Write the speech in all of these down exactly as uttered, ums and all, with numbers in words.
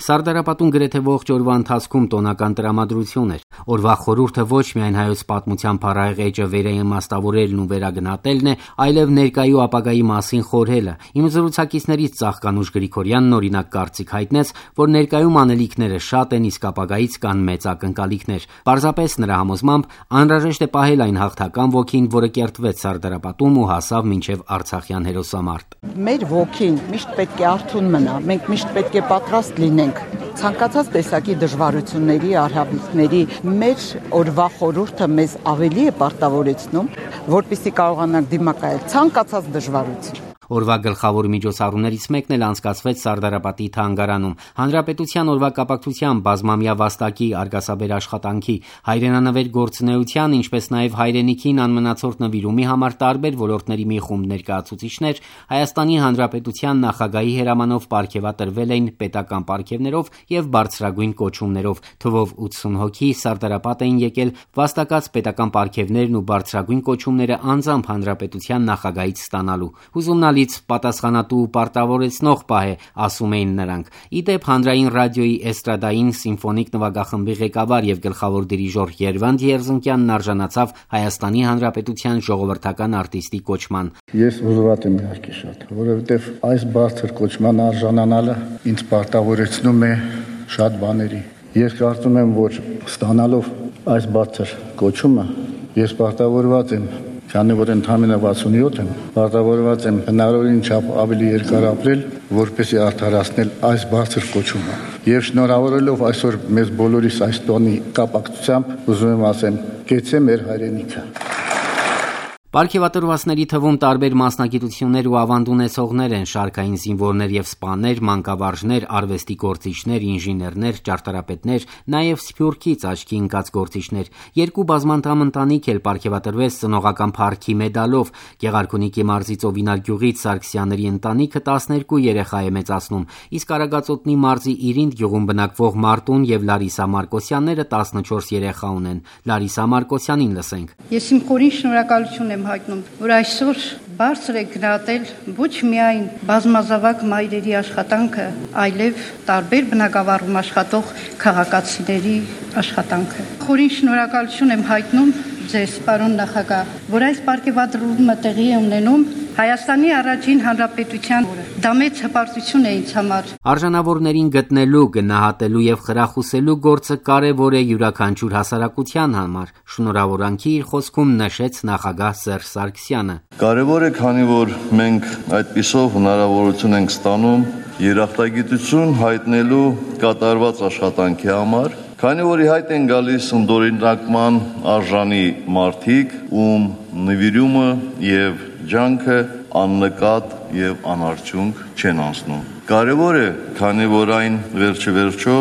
Սարդարապատում գրեթե ողջ օրվա ընթացքում տոնական տրամադրություն էր։ Օրվա խորհուրդը ոչ միայն հայոց պատմության փառահեղ էջը վերաիմաստավորելն ու վերագնահատելն է, այլև ներկայ ու ապագայի մասին խորհելը։ Իմ զրուցակիցներից Ծաղկանուշ Գրիգորյանն օրինակ կարծիք հայտնեց, որ ներկայում անելիքները շատ են, իսկ ապագայից կան մեծ ակնկալիքներ։ Պարզապես նրա համոզմամբ անհրաժեշտ է պահել այն հաղթական ոգին, որը կերտվեց Սարդարապատում ու հասավ մինչև արցախյան հերոսամարտ։ Մեր ոգին միշտ պետք է արթուն մնա, մենք միշտ պետք է պատրաստ լինենք ցանկացած տեսակի դժվարությունների, արհավիրքների։ Մեր օրվա խորհուրդը մեզ ավելի է պարտավորեցնում, որպեսզի կարողանանք դիմակայել ցանկացած դժվարություն։ Օրվա գլխավոր միջոցառումներից մեկն էլ անցկացվեց Սարդարապատի թանգարանում։ Հանրապետության օրվա կապակցությամբ բազմամյա վաստակի, արգասաբեր աշխատանքի, հայրենանվեր գործունեության, ինչպես նաև հայրենիքին անմնացորդ նվիրումի համար տարբեր ոլորտների մի խումբ ներկայացուցիչներ Հայաստանի Հանրապետության նախագահի հրամանով պարգևատրվել էին պետական պարգևներով եւ բարձրագույն կոչումներով։ Թվով ութսուն հոգի Սարդարապատ էին եկել վաստակած պետական պարգևներն ու բարձրագույն կոչումները անձամբ Հանրապետության նախագահից ստանալու։ Հուզումնալից պատասխանատու ու պարտավորեցնող պահ է, ասում էին նրանք։ Իդեպ հանրային ռադիոյի էստրադային սիմֆոնիկ նվագախմբի ղեկավար եւ գլխավոր դիրիժոր Երվանդ Երզնկյանն արժանացավ Հայաստանի Հանրապետության ժողովրդական արտիստի կոչման։ Ես հուզված եմ իհարկե շատ, որովհետեւ այս բարձր կոչման արժանանալը ինձ պարտավորեցնում է շատ բաների։ Ես կարծում եմ, որ ստանալով այս բարձր կոչումը ես պարտավորված եմ, քանի որ ընդամենը վաթսունյոթ եմ, պարտավորված եմ հնարավորին չափ ավելի երկար ապրել, որպեսզի արդարացնել այս բարձր կոչումը։ Եվ շնորհավորելով այսօր մեզ բոլորիս այս տոնի կապակցությամբ ուզում եմ ասեմ, կեցե մեր հայրենիքը։ Պարգևատրվածների թվում տարբեր մասնագիտություններ ու ավանդ ունեցողներ են՝ շարքային զինվորներ եւ սպաներ, մանկավարժներ, արվեստի գործիչներ, ինժեներներ, ճարտարապետներ, նաեւ Սփյուռքից աչքի ընկած գործիչներ։ Երկու բազմանդամ ընտանիք էլ պարգևատրվեց ծնողական փառքի մեդալով։ Գեղարքունիքի մարզի Ծովինար գյուղից Սարգսյանների ընտանիքը տասներկու երեխա է մեծացնում, իսկ Արագածոտնի մարզի Իրինդ գյուղում բնակվող Մարտուն եւ Լարիսա Մարկոսյանները տասնչորս երեխա ունեն։ Լարիսա Մարկոսյանին լսենք։ Ես իմ խորին շնորհակալություն եմ հայտնում, որ այսօր բարձր է գնահատել ոչ միայն բազմազավակ մայրերի աշխատանքը, այլև տարբեր բնակավարում աշխատող քաղաքացիների աշխատանքը։ Խորին շնորհակալություն եմ հայտնում ձեզ, պարոն նախագահ, որ այս պարգևատրումը տեղի է ունենում Հայաստանի առաջին հանրապետության օրը։ Դա մեծ հպարտություն է ինձ համար։ Արժանավորներին գտնելու, գնահատելու եւ խրախուսելու գործը կարեւոր է յուրաքանչյուր հասարակության համար։ Շնորհավորանքի իր խոսքում նշեց նախագահ Սերժ Սարգսյանը։ Կարևոր է, քանի որ մենք այդպիսով հնարավորություն ենք ստանում երախտագիտություն հայտնելու կատարված աշխատանքի համար, քանի որ ի հայտ են գալիս ընդօրինակման արժանի մարդիկ, ում նվիրումը եւ ջանքը աննկատ եւ անարդյունք չեն անցնում։ Կարևոր է, քանի որ այն վերջը վերջո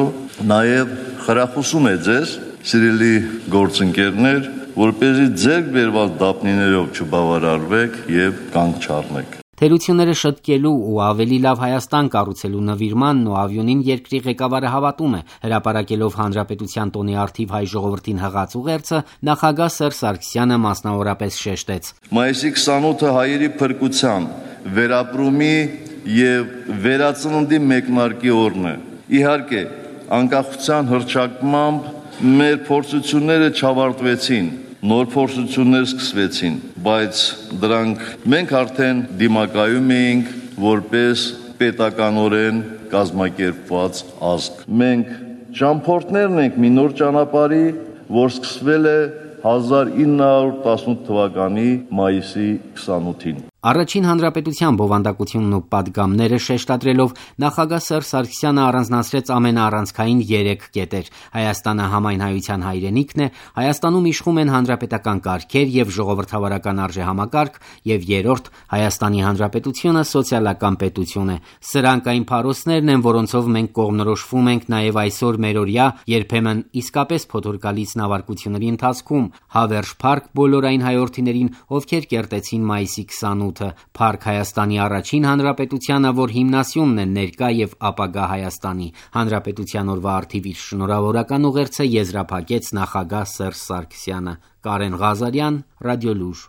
նաեւ խրախուսում է ձեզ, սիրելի գործընկերներ, որպեսզի ձեր բերված դափնիներով չբավարարվեք եւ կանգ չառնեք։ Թերությունները շտկելու ու ավելի լավ Հայաստան կառուցելու նվիրմանն ու ավյունին երկրի ղեկավարը հավատում է։ Հրապարակելով Հանրապետության տոնի առթիվ հայ ժողովրդին հղած ուղերձը, նախագահ Սերժ Սարգսյանը մասնավորապես շեշտեց. Մայիսի քսանութը հայերի փրկության, վերապրումի եւ վերածննդի մեկնարկի օրն է։ Իհարկե, անկախության հռչակմամբ մեր փորձությունները չավարտվեցին, նոր փորձություններ սկսվեցին, բայց դրանք մենք արդեն դիմակայում էինք որպես պետականորեն կազմակերպված ազգ։ Մենք ճամփորդներն ենք մի նոր ճանապարհի, որ սկսվել է հազար ինը հարյուր տասնութ թվականի մայիսի քսանութին։ Առաջին հանրապետության բովանդակությունն ու պատգամները շեշտադրելով նախագահ Սերժ Սարգսյանը առանձնացրեց ամենաառանցքային երեք կետեր։ Հայաստանը համայնայության հայրենիքն է, Հայաստանում իշխում են հանրապետական կարգեր եւ ժողովրդավարական արժեհամակարգ, եւ երրորդ Հայաստանի Հանրապետությունը սոցիալական պետություն է։ Սրանք այն փարոսներն են, որոնցով մենք կողմնորոշվում ենք նաեւ այսօր մերօրյա, երբեմն իսկապես փոթորկալից նավարկությունների ընթացքում։ Հավերժ փառք բոլոր այն հայրենիներին, ովքեր կերտեցին մայիսի քսանութը, փառք Հայաստանի առաջին հանրապետությանը, որ հիմնասյունն է ներկա եւ ապագա Հայաստանի։ Հանրապետության օրվա առթիվ իր շնորհավորական ուղերձը եզրափակեց նախագահ Սերժ Սարգսյանը։ Կարեն Ղազարյան, Ռադիոլուր։